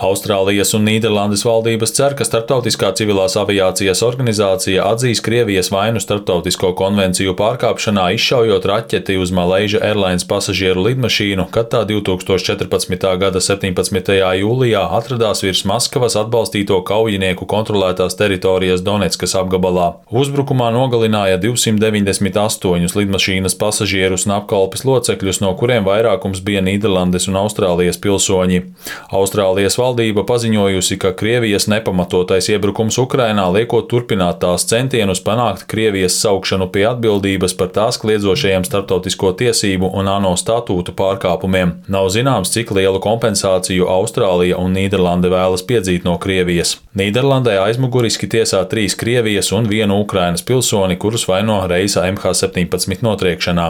Austrālijas un Nīderlandes valdības cer, ka Starptautiskā civilās aviācijas organizācija atzīs Krievijas vainu starptautisko konvenciju pārkāpšanā, izšaujot raķeti uz Malaysia Airlines pasažieru lidmašīnu, kad tā 2014. gada 17. jūlijā atradās virs Maskavas atbalstīto kaujinieku kontrolētās teritorijas Donetskas apgabalā. Uzbrukumā nogalināja 298 lidmašīnas pasažierus un apkalpes locekļus, no kuriem vairākums bija Nīderlandes un Austrālijas pilsoņi. Austrālijas valdība paziņojusi, ka Krievijas nepamatotais iebrukums Ukrainā liekot turpināt tās centienus panākt Krievijas saukšanu pie atbildības par tās kliedzošajiem starptautisko tiesību un ANO statūtu pārkāpumiem. Nav zināms, cik lielu kompensāciju Austrālija un Nīderlande vēlas piedzīt no Krievijas. Nīderlandē aizmuguriski tiesā 3 Krievijas un 1 Ukrainas pilsoni, kurus vaino reisa MH17 notriekšanā.